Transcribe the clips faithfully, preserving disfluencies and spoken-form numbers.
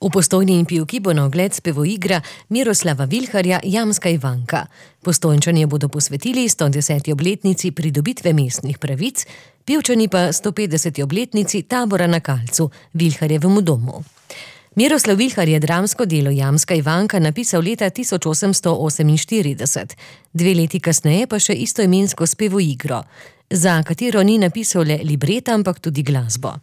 V Postojni in Pivki bo na ogled spevoigra Miroslava Vilharja Jamska Ivanka. Postojnčani bodo posvetili sto deseti obletnici pridobitve mestnih pravic, Pivčani pa sto petdeseti obletnici tabora na Kalcu, Vilharjevemu domu. Miroslav Vilhar je dramsko delo Jamska Ivanka napisal leta tisoč osemsto oseminštirideset, dve leti kasneje pa še istoimensko spevoigro, za katero ni napisal le libreta, ampak tudi glasbo.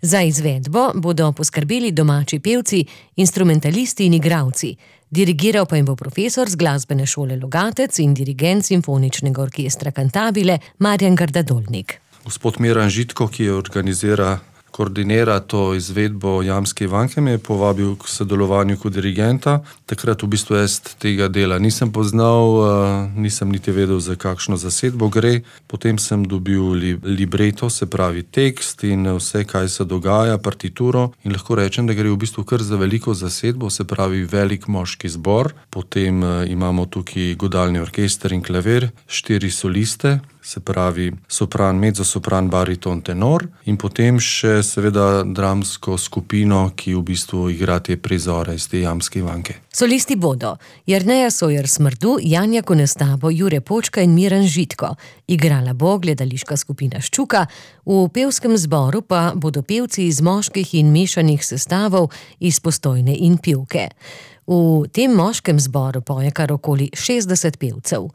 Za izvedbo bodo poskrbeli domači pevci, instrumentalisti in igralci. Dirigiral pa jim bo profesor z glasbene šole Logatec in dirigent simfoničnega orkestra Cantabile Marjan Gardadolnik. Gospod Miran Žitko, ki je organizira, koordinira to izvedbo Jamske Ivanke, me je povabil k sodelovanju kot dirigenta. Takrat v bistvu jaz tega dela nisem poznal, nisem niti vedel, za kakšno zasedbo gre. Potem sem dobil libreto, se pravi tekst in vse, kaj se dogaja, partituro. In lahko rečem, da gre v bistvu kar za veliko zasedbo, se pravi velik moški zbor. Potem imamo tukaj godalni orkester in klavir, štiri soliste, se pravi sopran, mezzosopran, bariton, tenor in potem še seveda dramsko skupino, ki v bistvu igra te prizore iz te Jamske Ivanke. Solisti bodo Jerneja Sojer Smrdu, Janja Konestabo, Jure Počka in Miran Žitko. Igrala bo gledališka skupina Ščuka, v pevskem zboru pa bodo pevci iz moških in mešanih sestavov iz Postojne in Pivke. V tem moškem zboru poje kar okoli šestdeset pevcev.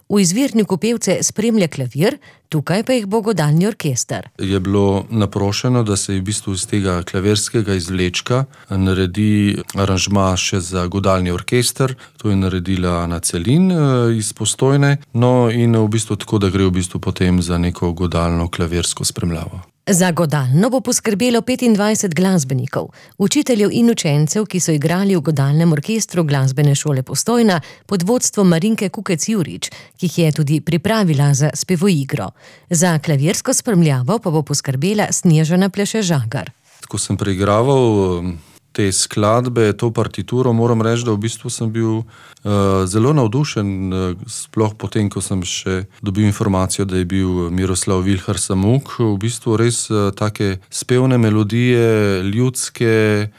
V izvirniku pevce spremlja klavir, tukaj pa jih bo godalni orkester. Je bilo naprošeno, da se v bistvu iz tega klavirskega izvlečka naredi aranžma še za godalni orkester. To je naredila Ana Celin iz Postojne. No in v bistvu tako, da gre v bistvu potem za neko godalno klavirsko spremljavo. Za godalno bo poskrbelo petindvajset glasbenikov, učiteljev in učencev, ki so igrali v godalnem orkestru glasbene šole Postojna pod vodstvom Marinke Kukec-Jurič, ki jih je tudi pripravila za spevoigro. Za klavirsko spremljavo pa bo poskrbela Snježana Pleše-Žagar. Ko sem preigraval te skladbe, to partituro, moram reči, da v bistvu sem bil uh, zelo navdušen, uh, sploh potem, ko sem še dobil informacijo, da je bil Miroslav Vilhar samuk. V bistvu res uh, take spevne melodije, ljudske,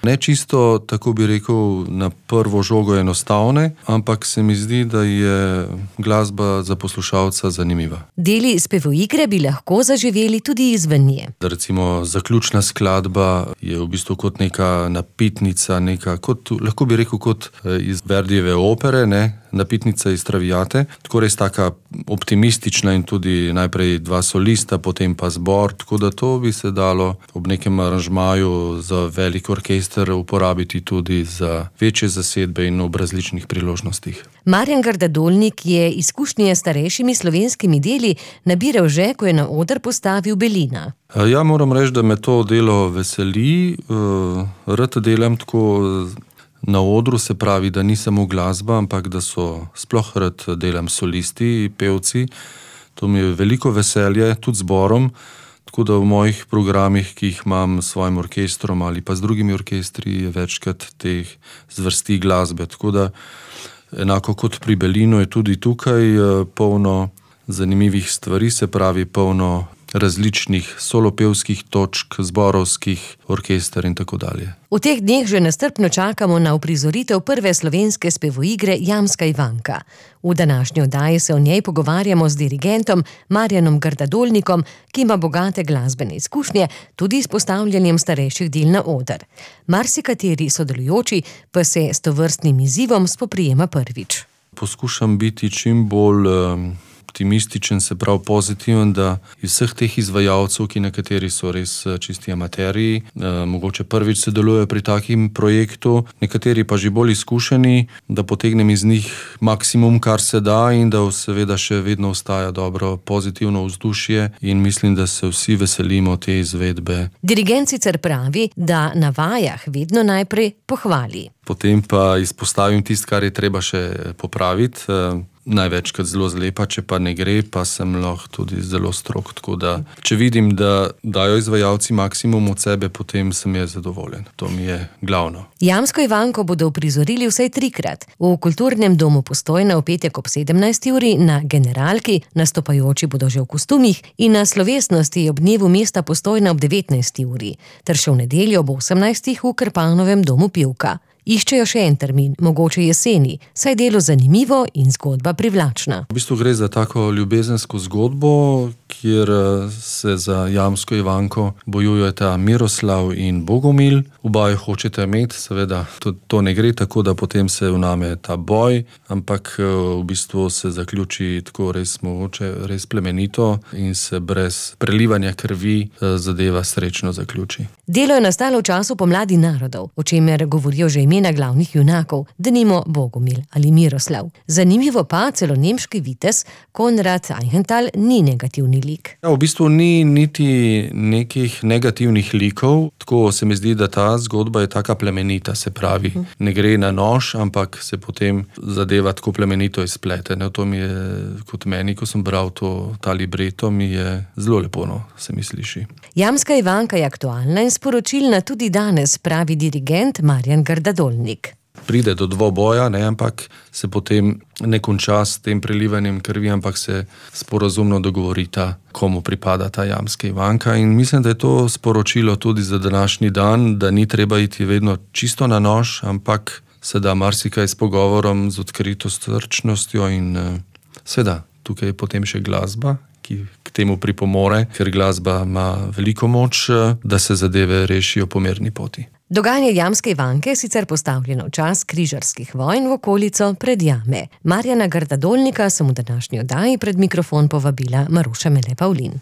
ne čisto, tako bi rekel, na prvo žogo enostavne, ampak se mi zdi, da je glasba za poslušalca zanimiva. Deli spevoigre bi lahko zaživeli tudi izven nje. Recimo zaključna skladba je v bistvu kot neka napitnica, neka, kot, lahko bi rekel, kot iz Verdijeve opere, ne? Napitnica iz Traviate, tako res taka optimistična in tudi najprej dva solista, potem pa zbor, tako da to bi se dalo ob nekem aranžmaju za velik orkester uporabiti tudi za večje zasedbe in ob različnih priložnostih. Marjan Gardadolnik je izkušnje s starejšimi slovenskimi deli nabiral že, ko je na oder postavil Belina. Ja, moram reči, da me to delo veseli, rad delam tako na odru, se pravi, da ni samo glasba, ampak da so sploh rad delam solisti, pevci. To mi je veliko veselje, tudi zborom, tako da v mojih programih, ki jih imam s svojim orkestrom ali pa z drugimi orkestri, je večkrat teh zvrsti glasbe. Tako da enako kot pri Belinu je tudi tukaj polno zanimivih stvari, se pravi polno različnih solopevskih točk, zborovskih, orkester in tako dalje. V teh dneh že nestrpno čakamo na uprizoritev prve slovenske spevoigre Jamska Ivanka. V današnji oddaji se o njej pogovarjamo z dirigentom Marjanom Gardadolnikom, ki ima bogate glasbene izkušnje, tudi s postavljanjem starejših del na oder. Marsikateri sodelujoči pa se s tovrstnim izzivom spoprijema prvič. Poskušam biti čim bolj um... optimističen, se prav pozitiven, da iz vseh teh izvajalcev, ki nekateri so res čisti amateriji, eh, mogoče prvič sodelujejo pri takim projektu, nekateri pa že bolj izkušeni, da potegnem iz njih maksimum, kar se da in da seveda še vedno ostaja dobro pozitivno vzdušje in mislim, da se vsi veselimo te izvedbe. Dirigent sicer pravi, da na vajah vedno najprej pohvali. Potem pa izpostavim tisto, kar je treba še popraviti. največkrat zelo zlepa, če pa ne gre, pa sem lahko tudi zelo strog. Tako da, če vidim, da dajo izvajalci maksimum od sebe, potem sem jaz zadovoljen. To mi je glavno. Jamsko Ivanko bodo uprizorili vsaj trikrat. V Kulturnem domu Postojna v petek ob sedemnajsti uri, na Generalki, nastopajoči bodo že v kostumih, in na slovesnosti ob dnevu mesta Postojna ob devetnajsti uri, ter še v nedeljo ob osemnajstih v Krpanovem domu Pivka. Iščejo še en termin, mogoče jeseni, saj delo zanimivo in zgodba privlačna. V bistvu gre za tako ljubezensko zgodbo, kjer se za Jamsko Ivanko bojujeta Miroslav in Bogomil. Oba jo hočete imeti, seveda to, to ne gre tako, da potem se vname ta boj, ampak v bistvu se zaključi tako res mogoče, res plemenito in se brez prelivanja krvi zadeva srečno zaključi. Delo je nastalo v času pomladi narodov, o čemer govorijo že imena glavnih junakov, denimo Bogomil ali Miroslav. Zanimivo pa, celo nemški vitez Konrad Eichenthal ni negativni lik. Ja, v bistvu ni niti nekih negativnih likov, tako se mi zdi, da ta zgodba je taka plemenita, se pravi, ne gre na nož, ampak se potem zadeva tako plemenito izplete. No, to mi je, kot meni, ko sem bral to, ta libreto, mi je zelo lepo, no, se mi sliši. Jamska Ivanka je aktualna in sporočilna tudi danes, pravi dirigent Marjan Grdadolnik. Pride do dvoboja, ne, ampak se potem ne konča s tem prelivanjem krvi, ampak se sporazumno dogovorita, komu pripada ta Jamska Ivanka. In mislim, da je to sporočilo tudi za današnji dan, da ni treba iti vedno čisto na nož, ampak se da marsikaj s pogovorom, z odkrito srčnostjo in seveda, tukaj je potem še glasba, ki k temu pripomore, ker glasba ima veliko moč, da se zadeve rešijo po mirni poti. Dogajanje Jamske Ivanke je sicer postavljeno v čas križarskih vojn v okolico Predjame. Marjana Grdadolnika sem v današnji oddaji pred mikrofon povabila Maruša Mele Pavlin.